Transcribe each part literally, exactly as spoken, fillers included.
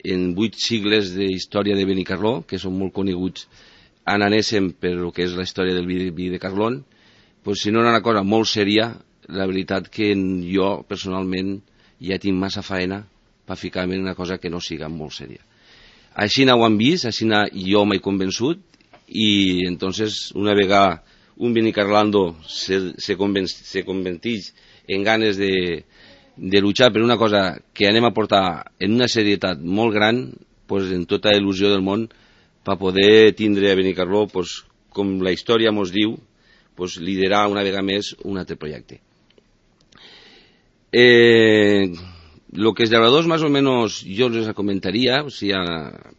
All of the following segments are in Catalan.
en vuit sigles d'història de Benicarló, que són molt coneguts en anéssim per el que és la història del vi, vi de Carlón, pues, si no era una cosa molt sèria, la veritat que jo personalment ja tinc massa faena per ficar-me en una cosa que no siga molt sèria. Així ho han vist, així jo m'he convençut, i entonces una vegada un Benicarlando se, se, conven, se converteix en ganes de, de luchar per una cosa que anem a portar en una serietat molt gran, pues, en tota il·lusió del món, per poder tindre a Benicarló, pues, com la història ens diu, pues, liderar una vegada més un altre projecte. Eh, lo que els llauradors, més o menys, jo els comentaria, o sigui,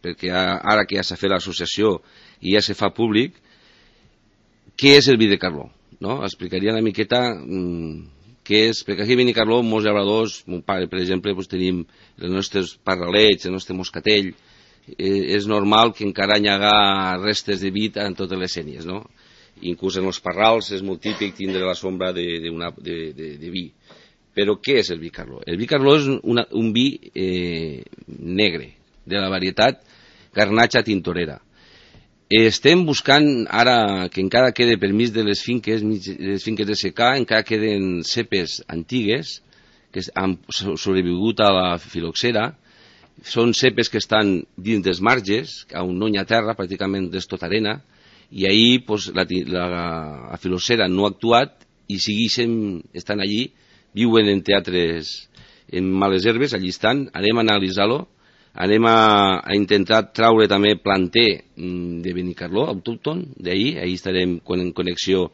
perquè ara que ja s'ha fet l'associació i ja se fa públic, què és el vi de Carló? No? Explicaria una miqueta mm, què és, perquè aquí a Benicarló, molts llauradors, mon pare, per exemple, pues, tenim els nostres parralets, el nostre moscatell, eh, és normal que encara hi haga restes de vi en totes les sènies, no? Inclús en els parrals és molt típic tindre la sombra de, de, una, de, de, de vi. Però què és el vi Carló? El vi Carló és una, un vi eh, negre, de la varietat Garnacha Tintorera. Estem buscant ara que encara quede permís de les finques, les finques de secà, encara queden cepes antigues que han sobrevigut a la filoxera. Són cepes que estan dins dels marges, on no hi ha terra, pràcticament és tot arena, i ahir pues, la, la, la filoxera no ha actuat i segueixen, estan allí, viuen en teatres, en males herbes, allí estan, anem a analitzar-lo, anem a, a intentar traure també planter de Benicarló, autòcton, d'ahir, ahir estarem en connexió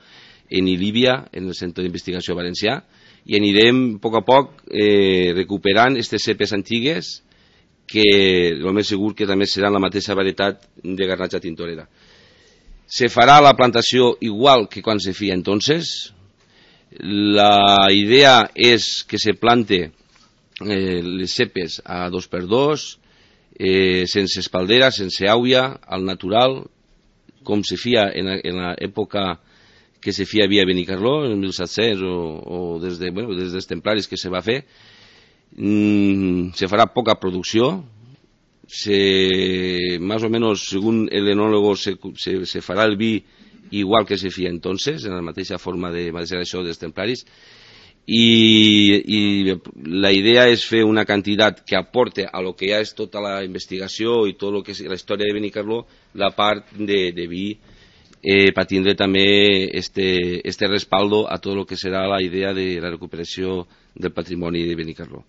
en Ilíbia, en el Centre d'Investigació Valencià, i anirem a poc a poc eh, recuperant aquestes cepes antigues, que el més segur que també serà la mateixa varietat de Garnacha Tintorera. Se farà la plantació igual que quan se feia entonces. La idea és que se plante eh, les cepes a dos per dos, eh, sense espaldera, sense àuia, al natural, com se feia en, en l'època que se feia via Benicarló, en mil set-cents, o, o des, de, bueno, des dels templaris que se va fer. Mm, se farà poca producció, se, más o menos, según el enólogo, se, se, se farà el vi igual que se feia entonces, en la mateixa forma de maceració dels templaris, i, i la idea és fer una quantitat que aporte a lo que ja és tota la investigació i tot lo que és la història de Benicarló, la part de, de vi, eh, per tindre també este, este respaldo a tot lo que serà la idea de la recuperació del patrimoni de Benicarló.